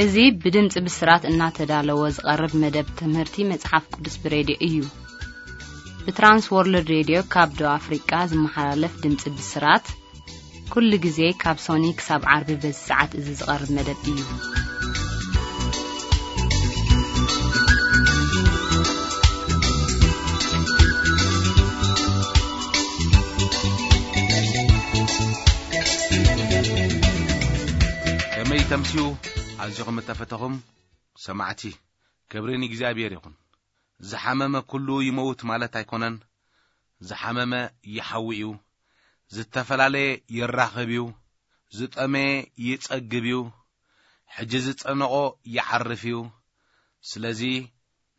እዚ ብድምፂ ብስራት እናተዳለወ ዝቐርብ መደብ ትምህርቲ መጽሓፍ ቅዱስ ብሬድዮ እዩ። ብትራንስ ወርልድ ሬድዮ ካብ ደቡብ ኣፍሪቃ ዝመሓላለፍ ድምፂ ብስራት፣ ኩሉ ግዜ ካብ ሶኒ ክሳብ ዓርቢ በዚ ሰዓት እዚ ዝቐርብ መደብ እዩ። ከመይ ተምስዩ? ኣዚኹም እተፈተኹም ሰማዕቲ፣ ክብሪ ንእግዚኣብሔር ይኹን። ዝሓመመ ኩሉ ይመውት ማለት ኣይኮነን። ዝሓመመ ይሓዊ እዩ። ዝተፈላለየ ይራኸብ እዩ። ዝጠመየ ይጸግብ እዩ። ሕጂ ዝጨነቖ ይዓርፍ እዩ። ስለዚ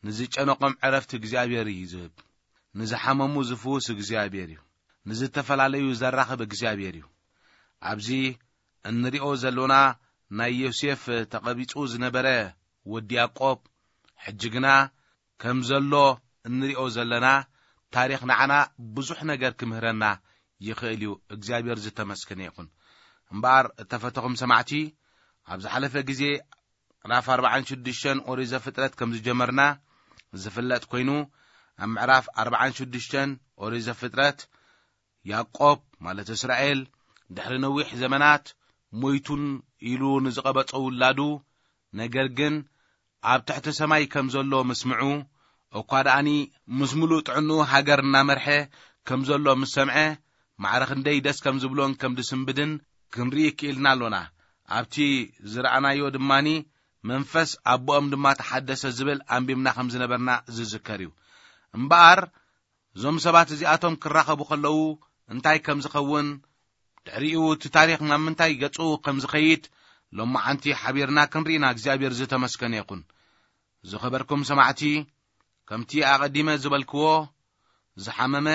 ንዝጨነቖም ዕረፍቲ እግዚኣብሔር እዩ ዝህብ። ንዝሓመሙ ዝፍውስ እግዚኣብሔር እዩ። ንዝተፈላለዩ ዘራኽብ እግዚኣብሔር እዩ። ኣብዚ እንሪኦ ዘሎና ናይ ዮሴፍ ተቐቢጹ ዝነበረ ወዲ ያዕቆብ፣ ሕጂ ግና ከም ዘሎ እንሪኦ ዘለና ታሪኽ ንዓና ብዙሕ ነገር ክምህረና ይኽእል እዩ። እግዚኣብሔር ዝተመስገነ ይኹን። እምበኣር እተፈተኹም ሰማዕቲ፣ ኣብ ዝሓለፈ ግዜ ምዕራፍ ኣርባዓን ሽዱሽተን ኦሪት ዘፍጥረት ከም ዝጀመርና ዝፍለጥ ኮይኑ፣ ኣብ ምዕራፍ ኣርባዓን ሽዱሽተን ኦሪት ዘፍጥረት፣ ያዕቆብ ማለት እስራኤል ድሕሪ ነዊሕ ዘመናት ሞይቱን ኢሉ ንዝቐበጾ ውላዱ፣ ነገር ግን ኣብ ትሕቲ ሰማይ ከም ዘሎ ምስ ምዑ፣ እኳ ደኣኒ ምስ ምሉእ ጥዕንኡ ሃገር እናመርሐ ከም ዘሎ ምስ ሰምዐ፣ ማዕረ ክንደይ ደስ ከም ዝብሎን ከም ዝስንብድን ክንርኢ ክኢልና ኣሎና። ኣብቲ ዝረኣናዮ ድማኒ፣ መንፈስ ኣቦኦም ድማ ተሓደሰ ዝብል ኣንቢብና ከም ዝነበርና ዝዝከር እዩ። እምበኣር፣ እዞም ሰባት እዚኣቶም ክራኸቡ ከለዉ እንታይ ከም ዝኸውን፣ ድሕሪኡ እቲ ታሪኽ ናብ ምንታይ ገጹ ከም ዝኸይድ፣ ሎማዓንቲ ሓቢርና ክንርኢና እግዚኣብሔር ዝተመስገነ ይኹን። ዝኸበርኩም ሰማዕቲ፣ ከምቲ ኣቐዲመ ዝበልክዎ፣ ዝሓመመ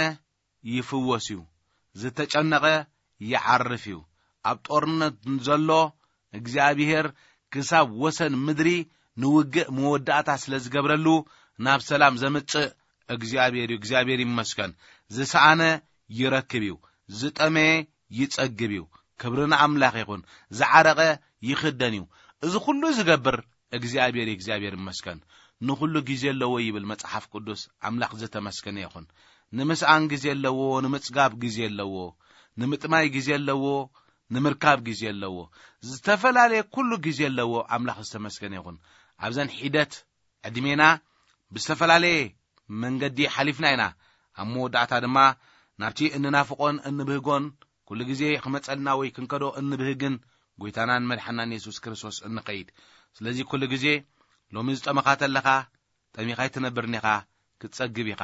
ይፍወስ እዩ፣ ዝተጨነቐ ይዓርፍ እዩ። ኣብ ጦርነት ዘሎ እግዚኣብሔር ክሳብ ወሰን ምድሪ ንውግእ መወዳእታ ስለ ዝገብረሉ፣ ናብ ሰላም ዘምጽእ እግዚኣብሔር እዩ። እግዚኣብሔር ይመስገን። ዝሰኣነ ይረክብ እዩ፣ ዝጠመየ ይጸግብ እዩ። ክብሪ ንኣምላኽ ይኹን። ዝዓረቐ ይኽደን እዩ። እዚ ኩሉ ዝገብር እግዚኣብሔር እዩ። እግዚኣብሔር ይመስገን። ንኹሉ ግዜ ኣለዎ ይብል መጽሓፍ ቅዱስ። ኣምላኽ ዝተመስገነ ይኹን። ንምስኣን ግዜ ኣለዎ፣ ንምጽጋብ ግዜ ኣለዎ፣ ንምጥማይ ግዜ ኣለዎ፣ ንምርካብ ግዜ ኣለዎ። ዝተፈላለየ ኩሉ ግዜ ኣለዎ። ኣምላኽ ዝተመስገነ ይኹን። ኣብዘን ሒደት ዕድሜና ብዝተፈላለየ መንገዲ ሓሊፍና ኢና። ኣብ መወዳእታ ድማ ናብቲ እንናፍቖን እንብህጎን፣ ኩሉ ግዜ ክመጸልና ወይ ክንከዶ እንብህግን ጎይታናን መድሓናን የሱስ ክርስቶስ እንኸይድ። ስለዚ ኩሉ ግዜ ሎሚ ዝጠመኻ ተለኻ፣ ጠሚኻ ኣይትነብርን ኢኻ፣ ክትጸግብ ኢኻ።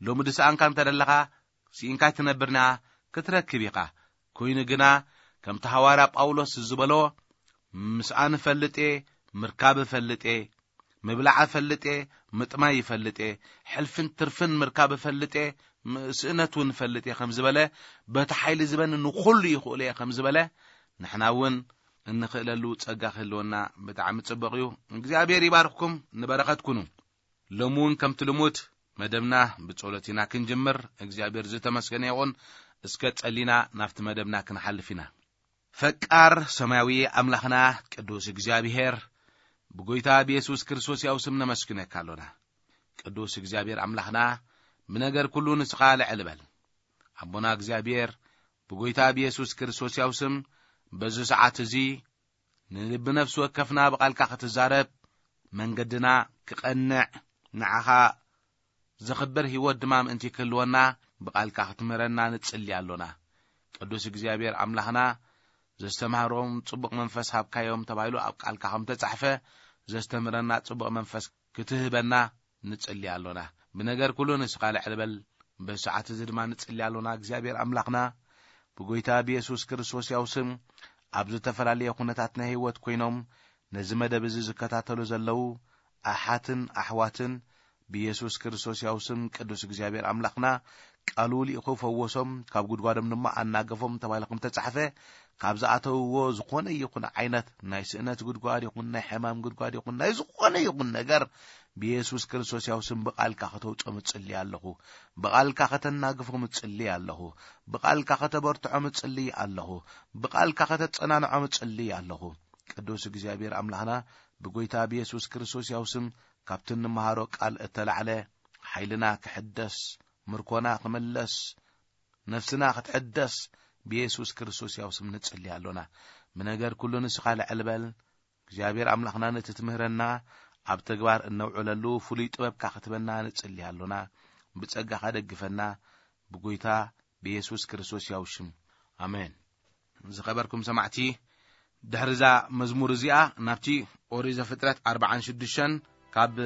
ሎሚ ዝሰኣንካ እንተ ደለኻ፣ ስኢንካ ኣይትነብርን ኢኻ፣ ክትረክብ ኢኻ። ኮይኑ ግና፣ ከምቲ ሃዋርያ ጳውሎስ ዝበሎ፣ ምስኣን እፈልጥ እየ፣ ምርካብ እፈልጥ እየ፣ ምብላዕ እፈልጥ እየ፣ ምጥማይ ይፈልጥ እየ፣ ሕልፍን ትርፍን ምርካብ እፈልጥ እየ፣ ም-፣ ስእነት እውን እፈልጥ እየ ከም ዝበለ፣ በቲ ሓይሊ ዝበኒ ንኹሉ ይኽእሎ እየ ከም ዝበለ፣ ንሕና እውን እንኽእለሉ ጸጋ ክህልወና ብጣዕሚ ጽቡቕ እዩ። እግዚኣብሔር ይባርኽኩም፣ ንበረኸት ኩኑ። ሎሚ እውን ከምቲ ልሙድ መደብና ብጸሎት ኢና ክንጅምር። እግዚኣብሔር ዝተመስገነ ይኹን። እስከ ጸሊና ናብቲ መደብና ክንሓልፍ ኢና። ፈቃር ሰማያዊ ኣምላኽና ቅዱስ እግዚኣብሔር፣ ብጎይታ ብየሱስ ክርስቶስ ያው ስም ነመስግነካ ኣሎና። ቅዱስ እግዚኣብሔር ኣምላኽና፣ ብነገር ኩሉ ንስኻ ልዕል በል። ኣቦና እግዚኣብሔር፣ ብጎይታ ብየሱስ ክርስቶስ ያው ስም በዚ ሰዓት እዚ ንልቢ ነፍሲ ወከፍና ብቓልካ ክትዛረብ፣ መንገድና ክቐንዕ፣ ንዓኻ ዘኽብር ህይወት ድማ ምእንቲ ክህልወና ብቓልካ ክትምህረና ንጽሊ ኣሎና። ቅዱስ እግዚኣብሔር ኣምላኽና፣ ዘስተምሃሮም ጽቡቕ መንፈስ ሃብካዮም ተባሂሉ ኣብ ቃልካ ከም ተጻሕፈ፣ ዘስተምህረና ጽቡቕ መንፈስ ክትህበና ንጽሊ ኣሎና። ብነገር ኩሉ ንስኻ ልዕል በል። በዚ ሰዓት እዚ ድማ ንጽሊ ኣሎና። እግዚኣብሔር ኣምላኽና፣ ብጎይታ ብየሱስ ክርስቶስ ያው ስም፣ ኣብ ዝተፈላለየ ኩነታት ናይ ህይወት ኮይኖም ነዚ መደብ እዚ ዝከታተሉ ዘለዉ ኣሓትን ኣሕዋትን፣ ብየሱስ ክርስቶስ ያው ስም ቅዱስ እግዚኣብሔር ኣምላኽና ቃሉ ልኢኹ ፈወሶም፣ ካብ ጉድጓዶም ድማ ኣናገፎም ተባሂሉ ከም ተጻሕፈ፣ ካብ ዝኣተውዎ ዝኾነ ይኹን ዓይነት ናይ ስእነት ጉድጓድ ይኹን ናይ ሕማም ጉድጓድ ይኹን ናይ ዝኾነ ይኹን ነገር ብየሱስ ክርስቶስ ያው ስም ብቓልካ ከተውጾም እጽሊ ኣለኹ። ብቓልካ ከተናግፎም እጽሊ ኣለኹ። ብቓልካ ከተበርትዖም እጽሊ ኣለኹ። ብቓልካ ከተጸናንዖም እጽሊ ኣለኹ። ቅዱስ እግዚኣብሔር ኣምላኽና ብጎይታ ብየሱስ ክርስቶስ ያው ስም ካብቲ እንመሃሮ ቃል እተላዕለ ሓይልና ክሕደስ፣ ምርኮና ክምለስ፣ ነፍስና ክትሕደስ ብየሱስ ክርስቶስ ያው ስም ንጽሊ ኣሎና። ብነገር ኩሉ ንስኻ ልዕል በል። እግዚኣብሔር ኣምላኽና ነቲ ትምህረና ኣብ ተግባር እነውዕለሉ ፍሉይ ጥበብካ ክትበና ንጽሊ ኣሎና። ብጸጋኻ ደግፈና ብጎይታ ብየሱስ ክርስቶስ ያው ሽም። ኣሜን። ዝኸበርኩም ሰማዕቲ፣ ድሕሪ እዛ መዝሙር እዚኣ ናብቲ ኦሪት ዘፍጥረት ኣርባዓን ሽዱሽተን ካብ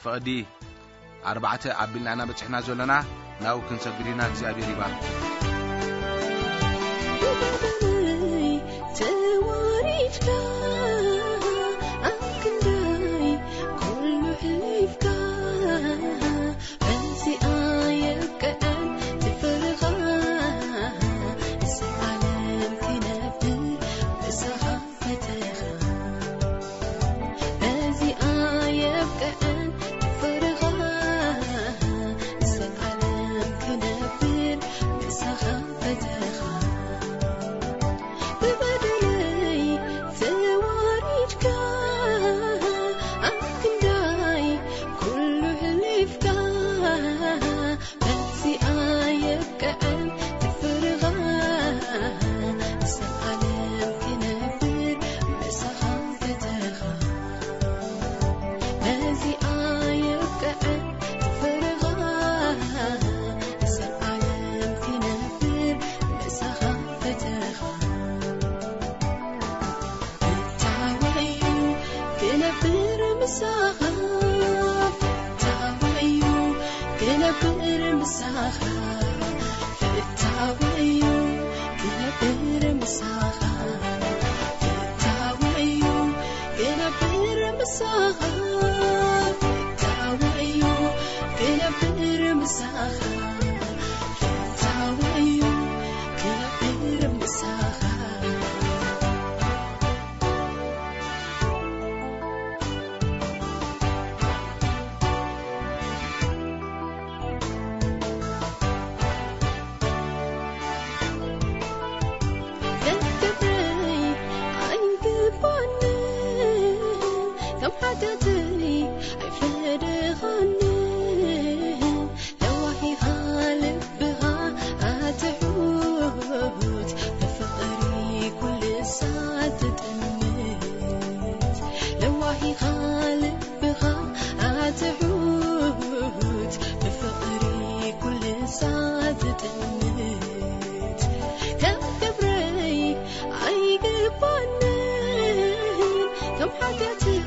ፍቕዲ ኣርባዕተ ኣቢልና ኢና በጺሕና ዘለና። ናብኡ ክንሰግድ ኢና። እግዚኣብሔር ይባርክ። ተዋሪድካ ኣብ ክንደይ ኩሉ ሕሊፍካ በዚኣ የብቅዐን ትፍርኻ፣ ንዘለዓለም ክነብር ምሳኻ ፈተኻ። በዚኣ የብቅዐን ትፍርኻ፣ ንዘለዓለም ክነብር ምሳኻ ፈተኻ። ብበደለይ ተዋሪድካ፣ ኣብ ክንዳይ ኩሉ ሕሊፍካ፣ በዚኣ የብቅዐን ትፍርኻ፣ ንዘለዓለም ክነብር ምሳኻ ፈተኻ። በዚኣ የብቅዐን ትፍርኻ፣ ንዘለዓለም ክነብር ምሳኻ ፈተኻ። ፍታወዩ ክነብር ምሳኻ፣ ፍታወዩ ክነብር ምሳኻ፣ ፍታወዩ ክነብር ምሳኻ፣ ፍታወዩ ክነብር ምሳኻ፣ ፍታወዩ ክነብር ምሳኻ፣ ፍታወዩ ክነብር ምሳኻ። ክብረይ ኣይግባንን፣ ከም ሓጢኣተይ ኣይፈደኻንን። ለዋሂኻ ልብኻ ኣትሑት፣ ብፍቕሪ ኩሉ ሳት ትጥምት። ለዋሂኻ ልብኻ ኣትሑት፣ ብፍቕሪ ኩሉ ሳት ትጥምት። ከም ክብረይ ኣይግባንን፣ ከም ሓጢኣተይ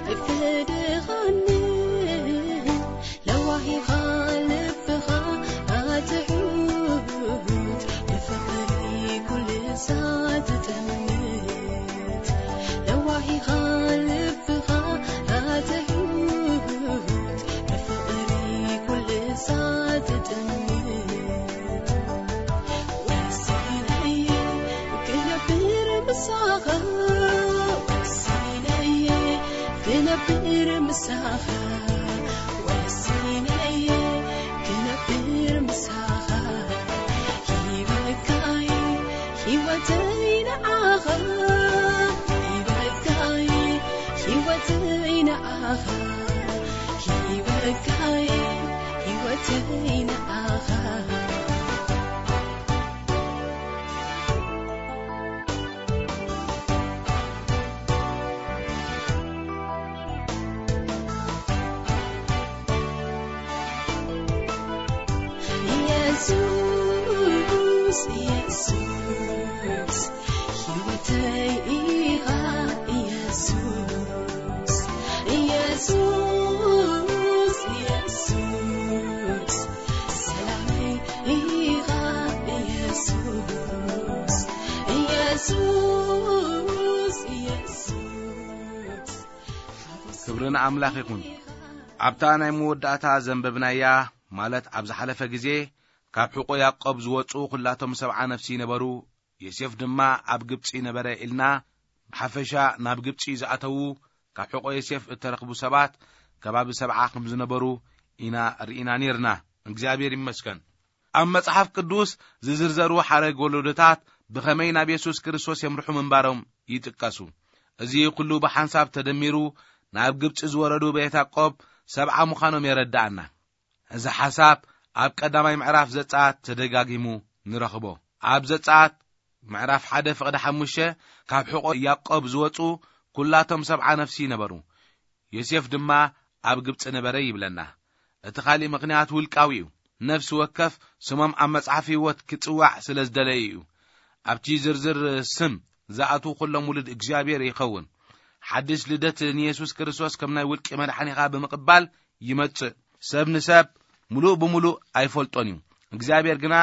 ኣይፈደኻንን። ለዋሂኻ ልብኻ ኣትሑት፣ ብፍቕሪ ኩሉ ሳት ትጥምት። ለዋሂኻ ልብኻ ኣትሑት፣ ብፍቕሪ ኩሉ ሳት ትጥምት። ወሲነየ ክነብር ምሳኻ፣ ወሲነየ ክነብር ምሳኻ፣ ወሲነየ ክነብር ምሳኻ። ሂበካየ ህይወተይ ንዓኻ፣ ሂበካየ ህይወተይ ንዓኻ፣ ሂበካየ ህይወተይ ንዓኻ። የሱስ፣ የሱስ፣ ህይወተይ ኢኻ የሱስ፣ የሱስ፣ የሱስ፣ ሰላመይ ኢኻ የሱስ፣ የሱስ፣ የሱስ። ክብሪ ንኣምላኽ ይኹን። ኣብታ ናይ መወዳእታ ዘንበብናያ፣ ማለት ኣብ ዝሓለፈ ግዜ፣ ካብ ሕቖ ያዕቆብ ዝወጹ ኹላቶም ሰብዓ ነፍሲ ነበሩ፣ ዮሴፍ ድማ ኣብ ግብጺ ነበረ ኢልና፣ ብሓፈሻ ናብ ግብጺ ዝኣተዉ ካብ ሕቖ ዮሴፍ እተረኽቡ ሰባት ከባቢ ሰብዓ ከም ዝነበሩ ኢና ርኢና ኔርና። እግዚኣብሔር ይመስገን። ኣብ መጽሓፍ ቅዱስ ዝዝርዘሩ ሓረግ ወለዶታት ብኸመይ ናብ የሱስ ክርስቶስ የምርሑ ምንባሮም ይጥቀሱ። እዚ ኩሉ ብሓንሳብ ተደሚሩ ናብ ግብጺ ዝወረዱ ቤት ያዕቆብ ሰብዓ ምዃኖም የረድኣና። እዚ ሓሳብ ኣብ ቀዳማይ ምዕራፍ ዘጸኣት ተደጋጊሙ ንረኽቦ። ኣብ ዘጸኣት ምዕራፍ ሓደ ፍቕዲ ሓሙሽተ ካብ ሕቖ ያዕቆብ ዝወጹ ኩላቶም ሰብዓ ነፍሲ ነበሩ። ዮሴፍ ድማ ኣብ ግብጺ ነበረ ይብለና። እቲ ካልእ ምኽንያት ውልቃዊ እዩ። ነፍሲ ወከፍ ስሞም ኣብ መጽሓፍ ህይወት ክጽዋዕ ስለ ዝደለየ እዩ። ኣብቲ ዝርዝር ስም ዝኣትዉ ኩሎም ውሉድ እግዚኣብሔር ይኸውን። ሓድሽ ልደት ንየሱስ ክርስቶስ ከም ናይ ውልቂ መድሓኒኻ ብምቕባል ይመጽእ። ሰብ ንሰብ ምሉእ ብምሉእ ኣይፈልጦን እዩ። እግዚኣብሔር ግና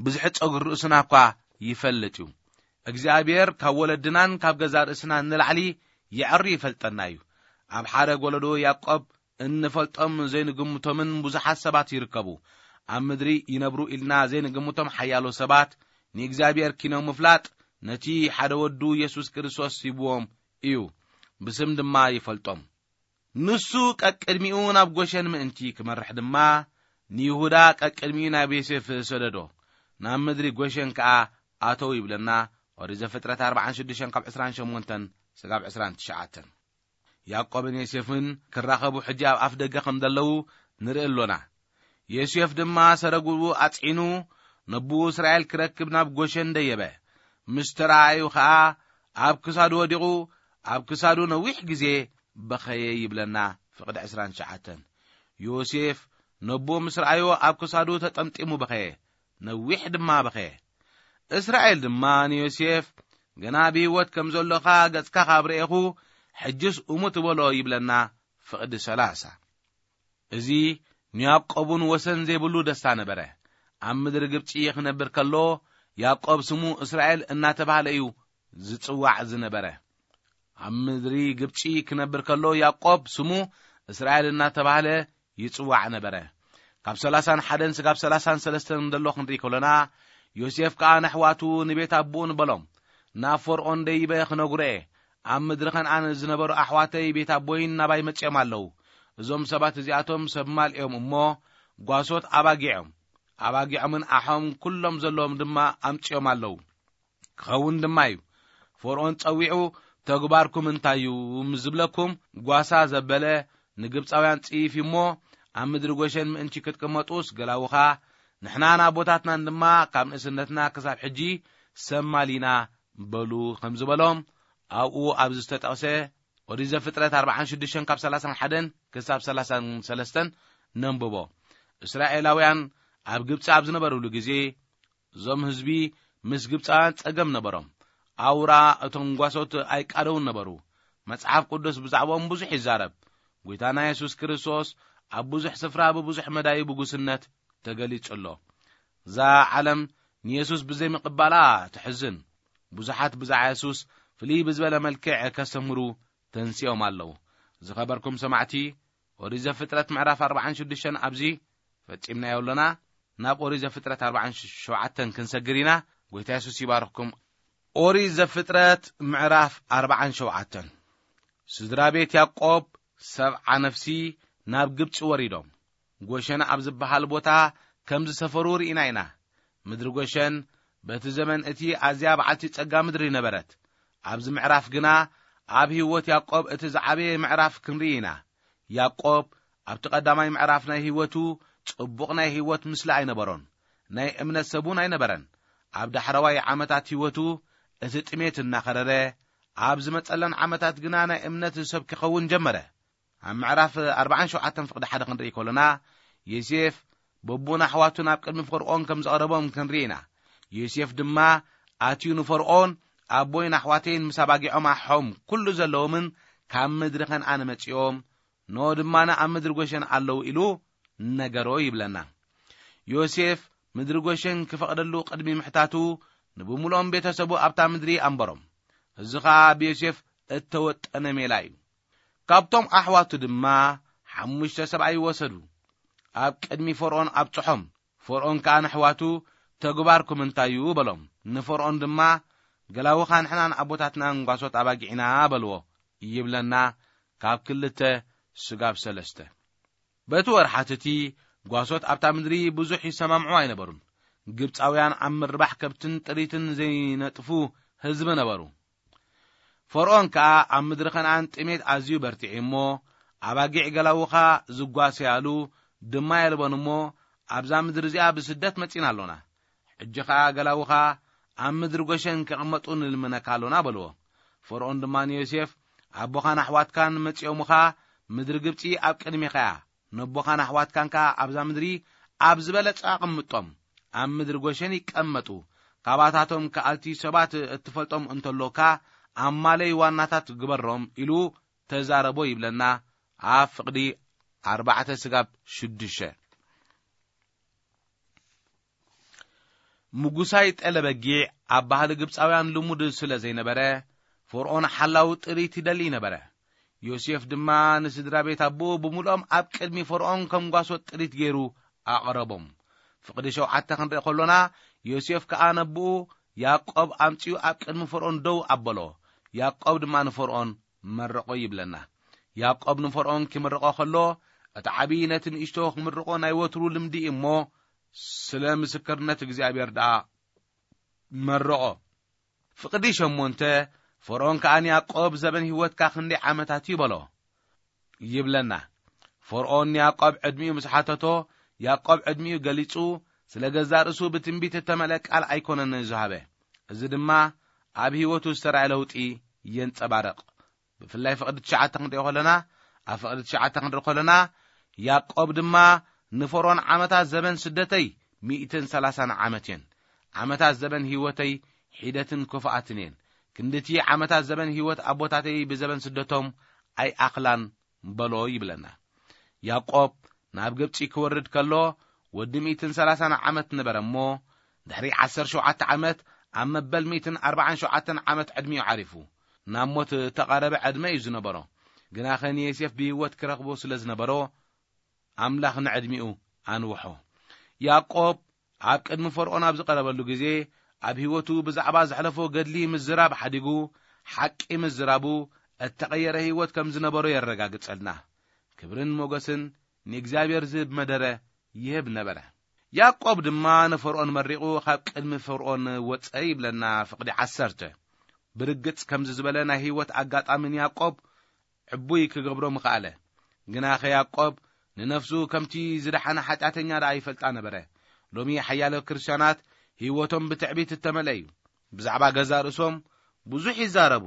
ብዝሒ ጸጉሪ ርእስና እኳ ይፈልጥ እዩ። እግዚኣብሔር ካብ ወለድናን ካብ ገዛ ርእስናን ንላዕሊ የዐሪ ይፈልጠና እዩ። ኣብ ሓደ ወለዶ ያዕቆብ እንፈልጦም ዘይንግምቶምን ብዙሓት ሰባት ይርከቡ። ኣብ ምድሪ ይነብሩ ኢልና ዘይንግምቶም ሓያሎ ሰባት ንእግዚኣብሔር ኪኖም ምፍላጥ ነቲ ሓደ ወዱ የሱስ ክርስቶስ ሂብዎም እዩ። ብስም ድማ ይፈልጦም። ንሱ ቀቅድሚኡ ናብ ጎሸን ምእንቲ ክመርሕ ድማ ንይሁዳ ቀቅድሚኡ ናብ ዮሴፍ ሰደዶ። ናብ ምድሪ ጎሸን ከኣ ኣተው ይብለና። ኦሪት ዘፍጥረት ኣርባዓን ሽዱሽተን ካብ ዕስራን ሸሞንተን ስጋብ ዕስራን ትሽዓተን። ያዕቆብን ዮሴፍን ክራኸቡ ሕጂ ኣብ ኣፍ ደገ ከም ዘለዉ ንርኢ ኣሎና። ዮሴፍ ድማ ሰረግኡ ኣጽዒኑ ነብኡ እስራኤል ክረክብ ናብ ጎሸን ደየበ። ምስ ተረኣዩ ኸኣ ኣብ ክሳዱ ወዲቑ ኣብ ክሳዱ ነዊሕ ግዜ በኸየ ይብለና። ፍቕዲ ዕስራን ትሽዓተን። ዮሴፍ ነብኡ ምስ ረኣዮ ኣብ ክሳዱ ተጠምጢሙ በኸየ፣ ነዊሕ ድማ በኸየ። እስራኤል ድማ ንዮሴፍ፣ "ገና ብህይወት ከም ዘሎኻ ገጽካ ካብ ረኤኹ፣ ሕጅስ እሙት በሎ" ይብለና። ፍቕዲ ሰላሳ። እዚ ንያዕቆብ እውን ወሰን ዘይብሉ ደስታ ነበረ። ኣብ ምድሪ ግብጺ ክነብር ከሎ ያዕቆብ ስሙ እስራኤል እናተባህለ እዩ ዝጽዋዕ ዝነበረ። ኣብ ምድሪ ግብጺ ክነብር ከሎ ያዕቆብ ስሙ እስራኤል እናተባህለ ይጽዋዕ ነበረ። ካብ ሰላሳን ሓደን ስጋብ ሰላሳን ሰለስተን እንደሎ ክንርኢ ከሎና፣ ዮሴፍ ከኣ ነሕዋቱ ንቤት ኣቦኡን በሎም፣ "ናብ ፈርኦን ደይበ ክነግሮ እየ፣ ኣብ ምድሪ ከነኣን ዝነበሩ ኣሕዋተይ ቤት ኣቦይን ናባይ መጺኦም ኣለዉ። እዞም ሰባት እዚኣቶም ሰብ ማል እዮም እሞ፣ ጓሶት ኣባጊዖም፣ ኣባጊዖምን ኣሖም ኩሎም ዘለዎም ድማ ኣምጺኦም ኣለዉ። ክኸውን ድማ እዩ። ፈርኦን ጸዊዑ፣ 'ተግባርኩም እንታይ እዩ?' ምስ ዝብለኩም፣ ጓሳ ዘበለ ንግብጻውያን ጽይፍ እዩ እሞ፣ ኣብ ምድሪ ጎሸን ምእንቲ ክትቅመጡስ ገላውኻ፣ ንሕናን ኣቦታትናን ድማ ካብ ንእስነትና ክሳብ ሕጂ ሰብ ማል ኢና በሉ ከም ዝበሎም፣ ኣብኡ ኣብዚ ዝተጠቕሰ ኦሪት ዘፍጥረት ኣርባዓን ሽዱሽተን ካብ ሰላሳን ሓደን ክሳብ ሰላሳን ሰለስተን ነንብቦ። እስራኤላውያን ኣብ ግብጺ ኣብ ዝነበሩሉ ግዜ፣ እዞም ህዝቢ ምስ ግብጻውያን ጸገም ነበሮም። ኣውራ እቶም ጓሶት ኣይቃደውን ነበሩ። መጽሓፍ ቅዱስ ብዛዕባኦም ብዙሕ ይዛረብ። ጐይታና የሱስ ክርስቶስ ኣብ ብዙሕ ስፍራ ብብዙሕ መዳዩ ብጉስነት ተገሊጹ ኣሎ። እዛ ዓለም ንየሱስ ብዘይምቕባላ ትሕዝን። ብዙሓት ብዛዕባ የሱስ ፍልይ ብዝበለ መልክዕ ከስተምህሩ ተንሲኦም ኣለዉ። ዝኸበርኩም ሰማዕቲ፣ ኦሪት ዘፍጥረት ምዕራፍ ኣርባዓን ሽዱሽተን ኣብዚ ፈጺምናዮ ኣለና። ናብ ኦሪት ዘፍጥረት ኣርባዓን ሸውዓተን ክንሰግር ኢና። ጐይታ የሱስ ይባርኽኩም። ኦሪት ዘፍጥረት ምዕራፍ ኣርባዓን ሸውዓተን። ስድራ ቤት ያዕቆብ ሰብዓ ነፍሲ ናብ ግብጺ ወሪዶም፣ ጎሸን ኣብ ዝበሃል ቦታ ከም ዝሰፈሩ ርኢና ኢና። ምድሪ ጎሸን በቲ ዘመን እቲ ኣዝያ በዓልቲ ጸጋ ምድሪ ነበረት። ኣብዚ ምዕራፍ ግና ኣብ ህይወት ያዕቆብ እቲ ዝዓበየ ምዕራፍ ክንርኢ ኢና። ያዕቆብ ኣብቲ ቀዳማይ ምዕራፍ ናይ ህይወቱ ጽቡቕ ናይ ህይወት ምስሊ ኣይነበሮን። ናይ እምነት ሰብ እውን ኣይነበረን። ኣብ ዳሕረዋይ ዓመታት ህይወቱ እቲ ጥሜት እናኸረረ፣ ኣብ ዝመጸለን ዓመታት ግና ናይ እምነት ሰብ ክኸውን ጀመረ። ኣብ ምዕራፍ ኣርባዓን ሸውዓተን ፍቕዲ ሓደ ክንርኢ ከሎና፣ ዮሴፍ በቡን ኣሕዋቱን ኣብ ቅድሚ ፈርኦን ከም ዘቕረቦም ክንርኢ ኢና። ዮሴፍ ድማ ኣትዩ ንፈርኦን፣ "ኣቦይን ኣሕዋተይን ምስ ኣባጊዖም ኣሖም ኩሉ ዘለዎምን ካብ ምድሪ ከነኣን መጺኦም፣ ኖ ድማ ኣብ ምድሪ ጎሸን ኣለዉ" ኢሉ ነገሮ ይብለና። ዮሴፍ ምድሪ ጎሸን ክፈቕደሉ ቅድሚ ምሕታቱ፣ ንብምልኦም ቤተሰቡ ኣብታ ምድሪ ኣንበሮም። እዚ ኸኣ ብዮሴፍ እተወጠነ ሜላ እዩ። ካብቶም ኣሕዋቱ ድማ ሓሙሽተ ሰብኣይ ወሰዱ፣ ኣብ ቅድሚ ፈርኦን ኣብጽሖም። ፈርኦን ከኣ ንኣሕዋቱ፣ "ተግባርኩም እንታይ እዩ?" በሎም። ንፈርኦን ድማ፣ "ገላውኻ ንሕናን ኣቦታትናን ጓሶት ኣባጊዕና" በልዎ ይብለና፣ ካብ ክልተ ስጋብ ሰለስተ። በቲ ወርሓት እቲ ጓሶት ኣብታ ምድሪ ብዙሕ ይሰማምዑ ኣይነበሩን። ግብጻውያን ኣብ ምርባሕ ከብትን ጥሪትን ዘይነጥፉ ህዝቢ ነበሩ። ፈርኦን ከኣ ኣብ ምድሪ ከነኣን ጥሜት ኣዝዩ በርቲዑ እሞ፣ ኣባጊዕ ገላውኻ ዝጓሰያሉ ድማ የልቦን እሞ፣ ኣብዛ ምድሪ እዚኣ ብስደት መጺና ኣሎና። ሕጂ ኸኣ ገላውኻ ኣብ ምድሪ ጎሸን ክቕመጡ ንልምነካ ኣሎና በልዎ። ፈርኦን ድማ ንዮሴፍ፣ ኣቦኻን ኣሕዋትካን መጺኦምኻ፣ ምድሪ ግብጺ ኣብ ቅድሜኻ እያ። ነቦኻን ኣሕዋትካን ከኣ ኣብዛ ምድሪ ኣብ ዝበለጸ ኣቕምጦም፣ ኣብ ምድሪ ጎሸን ይቀመጡ። ካባታቶም ከኣልቲ ሰባት እትፈልጦም እንተሎካ፣ ኣማለይ ዋናታት ግበሮም ኢሉ ተዛረቦ ይብለና። ኣብ ፍቕዲ ኣርባዕተ ስጋብ ሽዱሽተ። ምጉሳይ ጠለበጊዕ ኣብ ባህሊ ግብጻውያን ልሙድ ስለ ዘይነበረ፣ ፈርኦን ሓላው ጥሪት ይደሊ ነበረ። ዮሴፍ ድማ ንስድራ ቤት ኣቦኡ ብምሉኦም ኣብ ቅድሚ ፈርኦን ከም ጓሶት ጥሪት ገይሩ ኣቕረቦም። ፍቕዲ ሸውዓተ ክንርኢ ከሎና፣ ዮሴፍ ከኣ ነቦኡ ያዕቆብ ኣምጺኡ ኣብ ቅድሚ ፈርኦን ደው ኣበሎ። ያዕቆብ ድማ ንፈርኦን መረቖ ይብለና። ያዕቆብ ንፈርኦን ኪምርቖ ከሎ፣ እቲ ዓብዪ ነቲ ንእሽቶ ክምርቖ ናይ ወትሩ ልምዲ እዩ እሞ፣ ስለ ምስክርነት እግዚኣብሔር ደኣ መረቖ። ፍቕዲ ሸሞንተ፣ ፈርኦን ከኣ ንያዕቆብ፣ "ዘበን ህይወትካ ክንደይ ዓመታት እዩ?" በሎ ይብለና። ፈርኦን ንያዕቆብ ዕድሚኡ ምስ ሓተቶ፣ ያዕቆብ ዕድሚኡ ገሊጹ፣ ስለ ገዛእ ርእሱ ብትንቢት እተመልአ ቃል ኣይኮነን ዝሃበ። እዚ ድማ ኣብ ህይወቱ ዝተራእየ ለውጢ የንጸባርቕ። ብፍላይ ፍቕዲ ትሽዓተ ክንሪኦ ከለና፣ ኣብ ፍቕዲ ትሽዓተ ክንርኢ ከለና፣ ያዕቆብ ድማ ንፈርኦን፣ "ዓመታት ዘበን ስደተይ ሚእትን ሰላሳን ዓመት እየን። ዓመታት ዘበን ህይወተይ ሒደትን ክፉኣትን እየን። ክንድቲ ዓመታት ዘበን ህይወት ኣቦታተይ ብዘበን ስደቶም ኣይኣኽላን" በሎ ይብለና። ያዕቆብ ናብ ግብጺ ክወርድ ከሎ ወዲ ሚእትን ሰላሳን ዓመት ነበረ እሞ፣ ድሕሪ ዓሰርተ ሸውዓተ ዓመት ኣብ መበል ሚእትን ኣርባዓን ሸውዓተን ዓመት ዕድሚኡ ዓሪፉ፣ ናብ ሞት እተቓረበ ዕድመ እዩ ዝነበሮ። ግናኸ ንዮሴፍ ብህይወት ክረኽቦ ስለ ዝነበሮ፣ ኣምላኽ ንዕድሚኡ ኣንውሖ። ያዕቆብ ኣብ ቅድሚ ፈርኦን ኣብ ዝቐረበሉ ግዜ፣ ኣብ ህይወቱ ብዛዕባ ዘሕለፎ ገድሊ ምዝራብ ሓዲጉ፣ ሓቂ ምዝራቡ እተቐየረ ህይወት ከም ዝነበሮ የረጋግጸልና። ክብርን ሞገስን ንእግዚኣብሔር ዝህብ መደረ ይህብ ነበረ። ያዕቆብ ድማ ንፈርኦን መሪቑ ካብ ቅድሚ ፈርኦን ወጸ ይብለና ፍቕዲ ዓሰርተ። ብርግጽ ከምዚ ዝበለ ናይ ህይወት ኣጋጣሚ ንያዕቆብ ዕቡይ ክገብሮ ምኽኣለ። ግናኸ ያዕቆብ ንነፍሱ ከምቲ ዝደሓነ ሓጢኣተኛ ደኣ ይፈልጣ ነበረ። ሎሚ ሓያሎ ክርስትያናት ህይወቶም ብትዕቢት እተመልአ እዩ። ብዛዕባ ገዛእ ርእሶም ብዙሕ ይዛረቡ።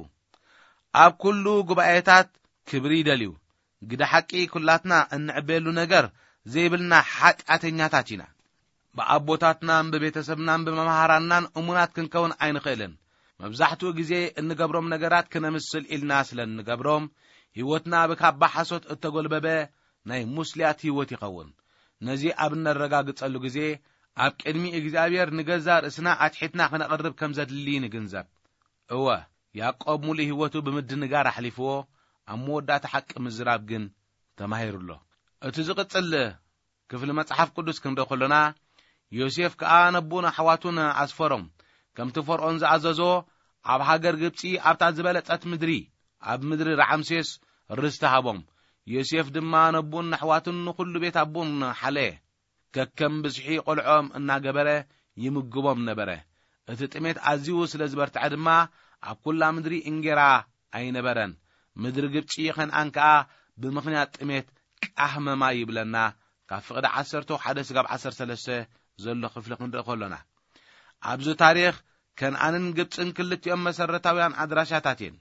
ኣብ ኩሉ ጉባኤታት ክብሪ ይደልዩ። ግደ ሓቂ ኩላትና እንዕበየሉ ነገር ዘይብልና ሓጢኣተኛታት ኢና። ብኣቦታትናን ብቤተሰብናን ብመምሃራንናን እሙናት ክንከውን ኣይንኽእልን። መብዛሕትኡ ግዜ እንገብሮም ነገራት ክነምስል ኢልና ስለ እንገብሮም፣ ህይወትና ብካባ ሓሶት እተጎልበበ ናይ ሙስልያት ህይወት ይኸውን። ነዚ ኣብ እነረጋግጸሉ ግዜ፣ ኣብ ቅድሚ እግዚኣብሔር ንገዛእ ርእስና ኣትሒትና ክነቕርብ ከም ዘድሊ ንግንዘብ። እወ፣ ያዕቆብ ሙሉእ ህይወቱ ብምድንጋር ኣሕሊፍዎ፣ ኣብ መወዳእታ ሓቂ ምዝራብ ግን ተማሂሩ ኣሎ። እቲ ዝቕጽል ክፍሊ መጽሓፍ ቅዱስ ክንርኢ ከሎና፣ ዮሴፍ ከኣ ነቦኡን ኣሕዋቱን ኣስፈሮም። ከምቲ ፈርኦን ዝኣዘዞ፣ ኣብ ሃገር ግብጺ ኣብታ ዝበለጸት ምድሪ፣ ኣብ ምድሪ ራዓምሴስ ርስቲ ሃቦም። ዮሴፍ ድማ ነቦኡን ኣሕዋቱን ንኹሉ ቤት ኣቦኡን ሓለየ። ከከም ብዝሒ ቆልዖም እናገበረ ይምግቦም ነበረ። እቲ ጥሜት ኣዝዩ ስለ ዝበርትዐ ድማ፣ ኣብ ኩላ ምድሪ እንጌራ ኣይነበረን። ምድሪ ግብጺ ኸንኣን ከኣ ብምኽንያት ጥሜት ቃህመማ ይብለና፣ ካብ ፍቕዲ ዓሰርተ ሓደ ስጋብ ዓሰርተ ሰለስተ ዘሎ ክፍሊ ክንርኢ ከሎና። ኣብዚ ታሪኽ ከንኣንን ግብጽን ክልቲኦም መሰረታውያን ኣድራሻታት እየን።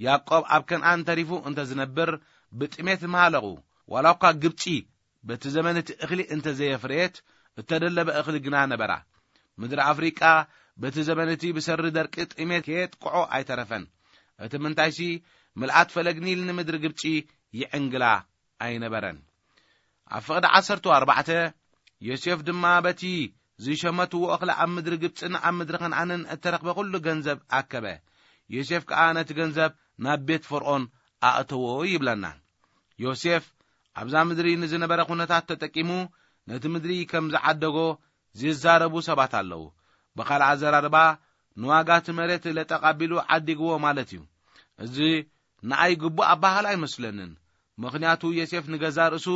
ያዕቆብ ኣብ ከንኣን ተሪፉ እንተ ዝነብር ብጥሜት ምሃለቑ። ዋላ እኳ ግብጺ በቲ ዘመን እቲ እኽሊ እንተ ዘየፍረየት፣ እተደለበ እኽሊ ግና ነበራ። ምድሪ ኣፍሪቃ በቲ ዘመን እቲ ብሰሪ ደርቂ ጥሜት ከየጥቅዖ ኣይተረፈን። እቲ ምንታይሲ፣ ምልኣት ፈለግ ኒል ንምድሪ ግብጺ ይዕንግላ ኣይነበረን። ኣብ ፍቕዲ ዓሰርተ ኣርባዕተ፣ ዮሴፍ ድማ በቲ ዝሸመትዎ እኽሊ ኣብ ምድሪ ግብጽን ኣብ ምድሪ ከነኣንን እተረኽበ ኹሉ ገንዘብ ኣከበ። ዮሴፍ ከኣ ነቲ ገንዘብ ናብ ቤት ፈርኦን ኣእተዎ ይብለና። ዮሴፍ ኣብዛ ምድሪ ንዝነበረ ኩነታት ተጠቂሙ ነቲ ምድሪ ከም ዝዓደጎ ዝዛረቡ ሰባት ኣለዉ። ብኻልእ ኣዘራርባ፣ ንዋጋ እቲ መሬት ለጠቕ ኣቢሉ ዓዲግዎ ማለት እዩ። እዚ ንኣይ ግቡእ ኣባህላ ኣይመስለንን። ምኽንያቱ፣ ዮሴፍ ንገዛእ ርእሱ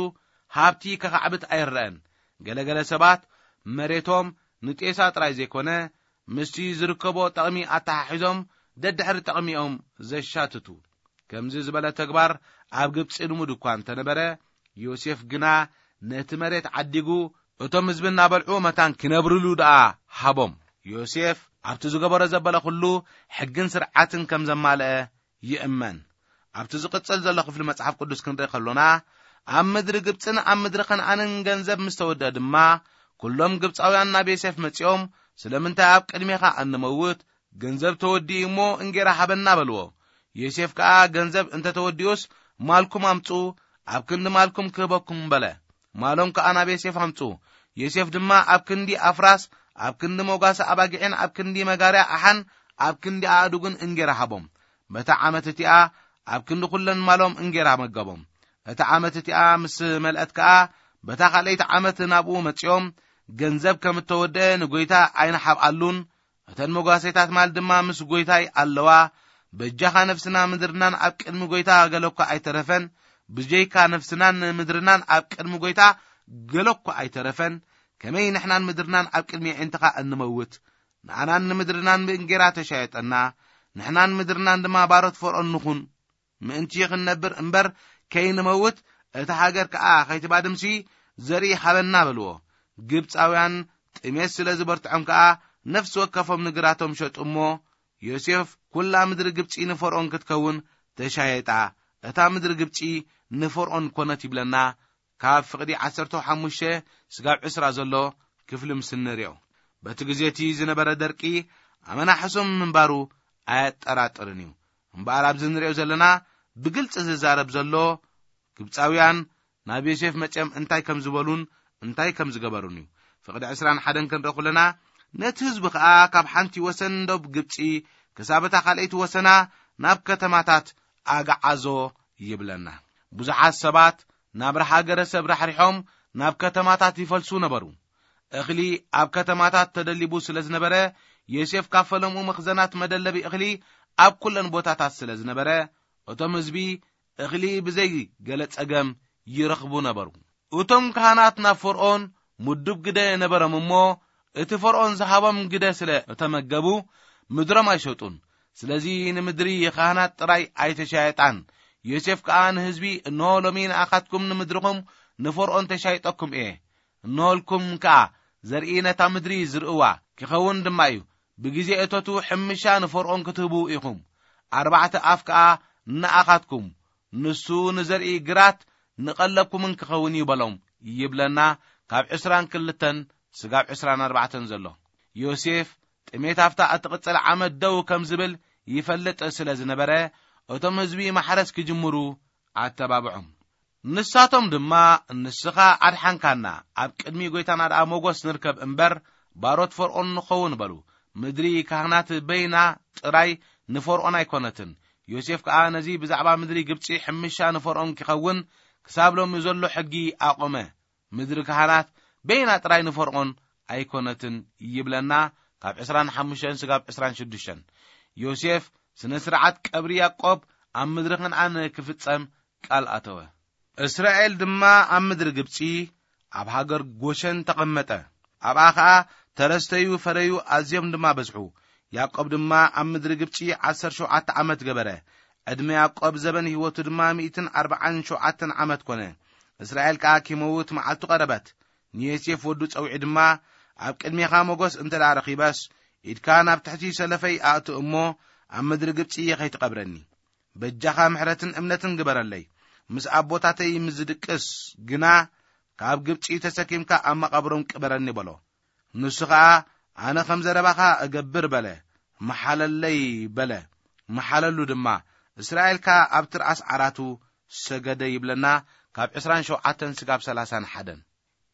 ሃብቲ ከኻዕብት ኣይረኣን። ገለገለ ሰባት መሬቶም ንጤሳ ጥራይ ዘይኮነ፣ ምስቲ ዝርከቦ ጠቕሚ ኣተሓሒዞም ደድሕሪ ጥቕሚኦም ዘሻትቱ። ከምዚ ዝበለ ተግባር ኣብ ግብጺ ልሙድ እኳ እንተነበረ፣ ዮሴፍ ግና ነቲ መሬት ዓዲጉ፣ እቶም ህዝቢ እናበልዑ መታን ኪነብርሉ ደኣ ሃቦም። ዮሴፍ ኣብቲ ዝገበሮ ዘበለ ኩሉ ሕግን ስርዓትን ከም ዘማልአ ይእመን። ኣብቲ ዝቕጽል ዘሎ ክፍሊ መጽሓፍ ቅዱስ ክንርኢ ከሎና፣ ኣብ ምድሪ ግብጽን ኣብ ምድሪ ከነኣንን ገንዘብ ምስ ተወድአ ድማ፣ ኩሎም ግብጻውያን ናብ ዮሴፍ መጺኦም፣ "ስለምንታይ ኣብ ቅድሜኻ እንመውት? ገንዘብ ተወዲኡ እሞ እንጌራ ሃበና" በልዎ። ዮሴፍ ከኣ፣ "ገንዘብ እንተ ተወዲኡስ ማልኩም ኣምጹ፣ ኣብ ክንዲ ማልኩም ክህበኩም" በለ። ማሎም ከኣ ናብ ዮሴፍ ኣምጹ። ዮሴፍ ድማ ኣብ ክንዲ ኣፍራስ፣ ኣብ ክንዲ መጓሰ ኣባጊዕን ኣብ ክንዲ መጋርያ ኣሓን ኣብ ክንዲ ኣእዱግን እንጌራ ሃቦም። በታ ዓመት እቲኣ ኣብ ክንዲ ኩለን ማሎም እንጌራ መገቦም። እታ ዓመት እቲኣ ምስ መልአት ከኣ፣ በታ ካልኣይቲ ዓመት ናብኡ መጺኦም፣ "ገንዘብ ከም እተወድአ ንጎይታ ኣይንሓብኣሉን፣ እተን መጓሰይታት ማል ድማ ምስ ጎይታይ ኣለዋ። በጃኻ ነፍስና ምድርናን ኣብ ቅድሚ ጎይታ ገለኳ ኣይተረፈን፣ ብጀይካ ነፍስናን ምድርናን ኣብ ቅድሚ ጎይታ ገለኳ ኣይተረፈን። ከመይ ንሕናን ምድርናን ኣብ ቅድሚ ኣዒንትኻ እንመውት? ንኣናን ንምድርናን ብእንጌራ ተሻየጠና፣ ንሕናን ምድርናን ድማ ባሮት ፈርዖን ንኹን። ምእንቲ ክንነብር እምበር ከይንመውት፣ እታ ሃገር ከኣ ከይትባድምሲ ዘርኢ ሃበና" በልዎ። ግብጻውያን ጥሜት ስለ ዝበርትዖም ከኣ ነፍሲ ወከፎም ንግራቶም ሸጡ እሞ፣ ዮሴፍ፣ "ኩላ ምድሪ ግብጺ ንፈርዖን ክትከውን ተሻየጣ፣ እታ ምድሪ ግብጺ ንፈርዖን ኮነት" ይብለና። ካብ ፍቕዲ ዓሰርተ ሓሙሽተ ስጋብ ዕስራ ዘሎ ክፍሊ ምስ እንሪኦ፣ በቲ ግዜ እቲ ዝነበረ ደርቂ ኣመና ሕሱም ምንባሩ ኣየጠራጥርን እዩ። እምበኣር ኣብዚ እንሪኦ ዘለና ብግልጺ ዝዛረብ ዘሎ፣ ግብጻውያን ናብ ዮሴፍ መጺኦም እንታይ ከም ዝበሉን እንታይ ከም ዝገበሩን እዩ። ፍቕዲ ዕስራን ሓደን ክንርኢ ከለና፣ ነቲ ህዝቢ ከኣ ካብ ሓንቲ ወሰን ዶብ ግብጺ ክሳብ እታ ካልኣይቲ ወሰና ናብ ከተማታት ኣግዓዞ ይብለና። ብዙሓት ሰባት ናብ ሃገረ ሰብ ራሕሪሖም ናብ ከተማታት ይፈልሱ ነበሩ። እኽሊ ኣብ ከተማታት ተደሊቡ ስለ ዝነበረ፣ ዮሴፍ ካብ ፈለምኡ መኽዘናት መደለቢ እኽሊ ኣብ ኩለን ቦታታት ስለ ዝነበረ፣ እቶም ህዝቢ እኽሊ ብዘይ ገለ ጸገም ይረኽቡ ነበሩ። እቶም ካህናት ናብ ፈርዖን ምዱብ ግደ ነበሮም እሞ፣ እቲ ፈርዖን ዝሃቦም ግደ ስለ እተመገቡ፣ ምድሮም ኣይሸጡን። ስለዚ ንምድሪ ካህናት ጥራይ ኣይተሻየጣን። ዮሴፍ ከኣ ንህዝቢ፣ "እንሆ ሎሚ ንኣኻትኩም ንምድርኹም ንፈርዖን ተሻይጠኩም እየ። እንሆልኩም ከኣ ዘርኢ ነታ ምድሪ ዝርእዋ ክኸውን ድማ እዩ። ብግዜ እቶቱ ሕምሻ ንፈርዖን ክትህቡ ኢኹም። ኣርባዕተ ኣፍ ከኣ ንኣኻትኩም፣ ንሱ ንዘርኢ ግራት ንቐለብኩምን ክኸውን እዩ" በሎም ይብለና፣ ካብ ዕስራን ክልተን ስጋብ ዕስራን ኣርባዕተን ዘሎ። ዮሴፍ ጥሜት ኣብታ እትቕጽል ዓመት ደው ከም ዝብል ይፈልጥ ስለ ዝነበረ፣ እቶም ህዝቢ ማሕረስ ክጅምሩ ኣተባብዖም። ንሳቶም ድማ፣ "ንስኻ ኣድሓንካና፣ ኣብ ቅድሚ ጎይታና ደኣ ሞጎስ ንርከብ እምበር፣ ባሮት ፈርዖን ንኸውን" በሉ። ምድሪ ካህናት በይና ጥራይ ንፈርዖን ኣይኮነትን። ዮሴፍ ከኣ ነዚ ብዛዕባ ምድሪ ግብጺ ሕምሻ ንፈርዖን ክኸውን ክሳብ ሎሚ ዘሎ ሕጊ ኣቖመ። ምድሪ ካህናት በይና ጥራይ ንፈርዖን ኣይኮነትን ይብለና፣ ካብ ዕስራን ሓሙሽተን ስጋብ ዕስራን ሽዱሽተን። ዮሴፍ ስነ ስርዓት ቀብሪ ያዕቆብ ኣብ ምድሪ ከነኣን ክፍጸም ቃል ኣተወ። እስራኤል ድማ ኣብ ምድሪ ግብጺ ኣብ ሃገር ጎሸን ተቐመጠ። ኣብኣ ኸኣ ተረስተዩ ፈረዩ ኣዝዮም ድማ በዝሑ። ያዕቆብ ድማ ኣብ ምድሪ ግብጺ ዓሰርተ ሸውዓተ ዓመት ገበረ። ዕድመ ያዕቆብ ዘበን ህይወቱ ድማ ሚእትን ኣርባዓን ሸውዓተን ዓመት ኮነ። እስራኤል ከኣ ኪመውት መዓልቱ ቀረበት። ንዮሴፍ ወዱ ጸዊዑ ድማ፣ "ኣብ ቅድሜኻ ሞገስ እንተ ደኣ ረኺበስ፣ ኢድካ ናብ ትሕቲ ሰለፈይ ኣእቱ እሞ፣ ኣብ ምድሪ ግብጺ ከይትቐብረኒ። በጃኻ ምሕረትን እምነትን ግበረለይ። ምስ ኣቦታተይ ምስ ዝድቅስ ግና፣ ካብ ግብጺ ተሰኪምካ ኣብ መቓብሮም ቅበረኒ" በሎ። ንሱ ኸኣ፣ "ኣነ ከም ዘረባኻ እገብር" በለ። "መሓለለይ" በለ። መሓለሉ ድማ። እስራኤል ከኣ ኣብ ትርኣስ ዓራቱ ሰገደ ይብለና፣ ካብ ዕስራን ሸውዓተን ስጋብ ሰላሳን ሓደን።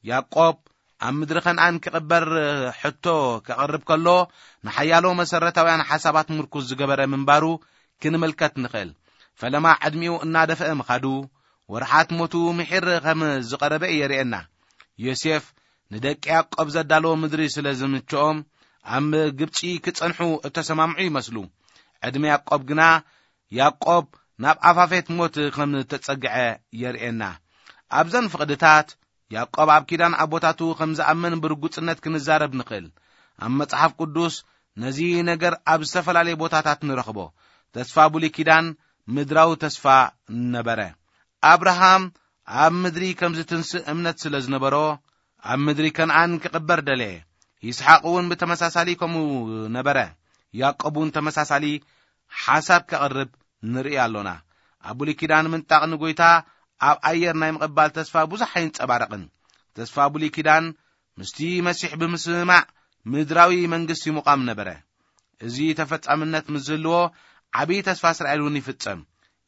ያዕቆብ ኣብ ምድሪ ከነኣን ክቕበር ሕቶ ከቕርብ ከሎ፣ ንሓያሎ መሰረታውያን ሓሳባት ምርኩዝ ዝገበረ ምንባሩ ክንምልከት ንኽእል። ፈለማ ዕድሚኡ እናደፍአ ምኻዱ፣ ወርሓት ሞቱ ምሒር ከም ዝቐረበ የርእየና። ዮሴፍ ንደቂ ያዕቆብ ዘዳለዎ ምድሪ ስለ ዝምችኦም፣ ኣብ ግብጺ ክጸንሑ እተሰማምዑ ይመስሉ። ዕድመ ያዕቆብ ግና፣ ያዕቆብ ናብ ኣፋፌት ሞት ከም እተጸግዐ የርእየና። ኣብዘን ፍቕድታት፣ ያዕቆብ ኣብ ኪዳን ኣቦታቱ ከም ዝኣምን ብርጉጽነት ክንዛረብ ንኽእል። ኣብ መጽሓፍ ቅዱስ ነዚ ነገር ኣብ ዝተፈላለየ ቦታታት ንረኽቦ። ተስፋ ብሉይ ኪዳን ምድራዊ ተስፋ ነበረ። ኣብርሃም ኣብ ምድሪ ከም ዝትንስእ እምነት ስለ ዝነበሮ፣ ኣብ ምድሪ ከነኣን ክቕበር ደለየ። ይስሓቅ እውን ብተመሳሳሊ ከምኡ ነበረ። ያዕቆብ እውን ተመሳሳሊ ሓሳብ ከቕርብ ንርኢ ኣሎና። ኣብ ብሉይ ኪዳን ምንጣቕ ንጎይታ ኣብ ኣየር ናይ ምቕባል ተስፋ ብዙሕ ኣይንጸባረቕን። ተስፋ ብሉይ ኪዳን ምስቲ መሲሕ ብምስምማዕ ምድራዊ መንግስቲ ምቋም ነበረ። እዚ ተፈጻምነት ምስ ዝህልዎ፣ ዓብዪ ተስፋ እስራኤል እውን ይፍጸም።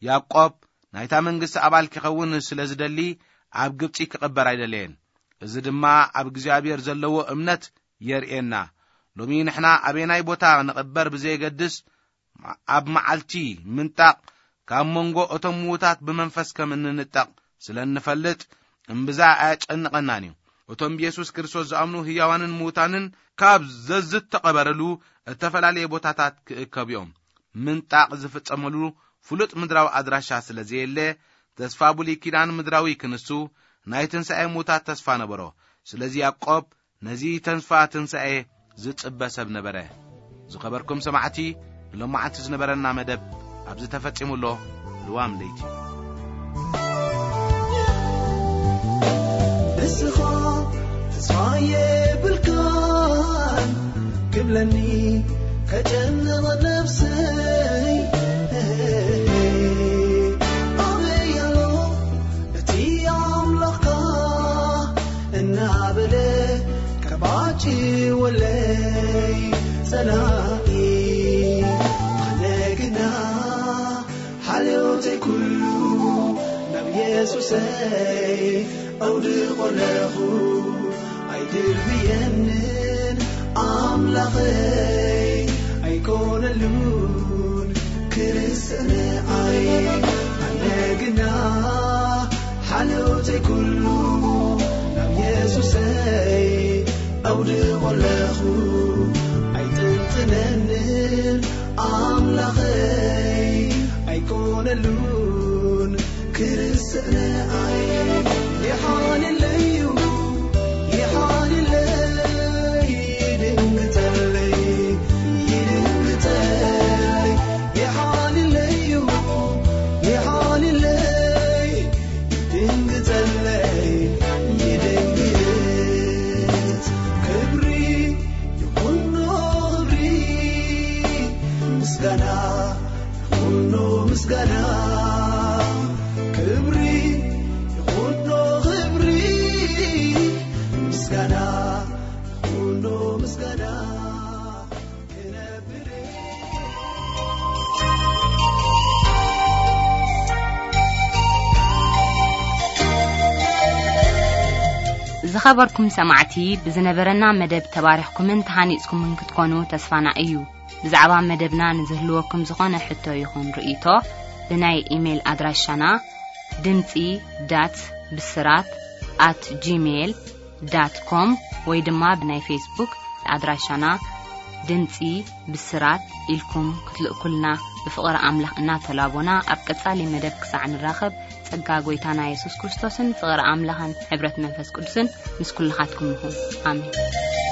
ያዕቆብ ናይታ መንግስቲ ኣባል ክኸውን ስለ ዝደሊ፣ ኣብ ግብጺ ክቕበር ኣይደለየን። እዚ ድማ ኣብ እግዚኣብሔር ዘለዎ እምነት የርእየና። ሎሚ ንሕና ኣበየናይ ቦታ ንቕበር ብዘየገድስ፣ ኣብ መዓልቲ ምንጣቕ ካብ መንጎ እቶም ምዉታት ብመንፈስ ከም እንንጠቕ ስለ እንፈልጥ፣ እምብዛ ኣያጨንቐናን እዩ። እቶም ብየሱስ ክርስቶስ ዝኣምኑ ህያዋንን ምዉታንን ካብ ዘዝተቐበረሉ እተፈላለየ ቦታታት ክእከቡ እዮም። ምንጣቕ ዝፍጸመሉ ፍሉጥ ምድራዊ ኣድራሻ ስለ ዘየለ፣ ተስፋ ብሉይ ኪዳን ምድራዊ ክንሱ ናይ ትንሳኤ ምዉታት ተስፋ ነበሮ። ስለዚ ያዕቆብ ነዚ ተስፋ ትንሳኤ ዝጽበ ሰብ ነበረ። ዝኸበርኩም ሰማዕቲ፣ ንሎማዓንቲ ዝነበረና መደብ ኣብዚ ተፈጺሙ ኣሎ። ልዋም ለይቲ። ንስኻ ተስፋ የብልካን ክብለኒ ከጨንቕ ነብሰይ። ኣበይ ኣሎ እቲ ኣምላኽካ እናበለ ከባጭወለይ ጸላኢ? ኣነ ግና ሓልዮተይ ኩሉ ናብ የሱሰይ ኣውድቆ ኣለኹ። ኣይድርብየንን ኣምላኸይ ኣይኮነሉን ክርስንዓይ። ኣነ ግና ሓልዮተይ ኩሉ ናብ የሱሰይ ኣውድቆ ኣለኹ። ኣይጥንጥነንን ኣምላኸይ ኣይኮነሉን ክርስንዓይ። ይሓልለዩ፣ ይሓልለይ፣ ይድንግጸለይ፣ ይድንግጸለይ። ይሓልለዩ፣ ይሓልለይ፣ ይድንግጸለይ፣ ይድንግጽ። ክብሪ ይኹኖ ክብሪ፣ ምስጋና ይኹኖ ምስጋና። ክብሪ ይኹኖ ክብሪ፣ ምስጋና ይኹኖ ምስጋና። ክነብር ዝኸበርኩም ሰማዕቲ፣ ብዝነበረና መደብ ተባሪኽኩምን ተሃኒጽኩምን ክትኮኑ ተስፋና እዩ። ብዛዕባ መደብና ንዝህልወኩም ዝኾነ ሕቶ ይኹን ርእይቶ፣ ብናይ ኢሜይል ኣድራሻና ድምጺ ዳት ብስራት ኣት ጂሜይል ዳት ኮም ወይ ድማ ብናይ ፌስቡክ ኣድራሻና ድምጺ ብስራት ኢልኩም ክትልእኩልና ብፍቕሪ ኣምላኽ እናተላቦና፣ ኣብ ቀጻሊ መደብ ክሳዕ ንራኸብ፣ ጸጋ ጐይታና የሱስ ክርስቶስን ፍቕሪ ኣምላኽን ሕብረት መንፈስ ቅዱስን ምስ ኩልኻትኩም ይኹን። ኣሜን።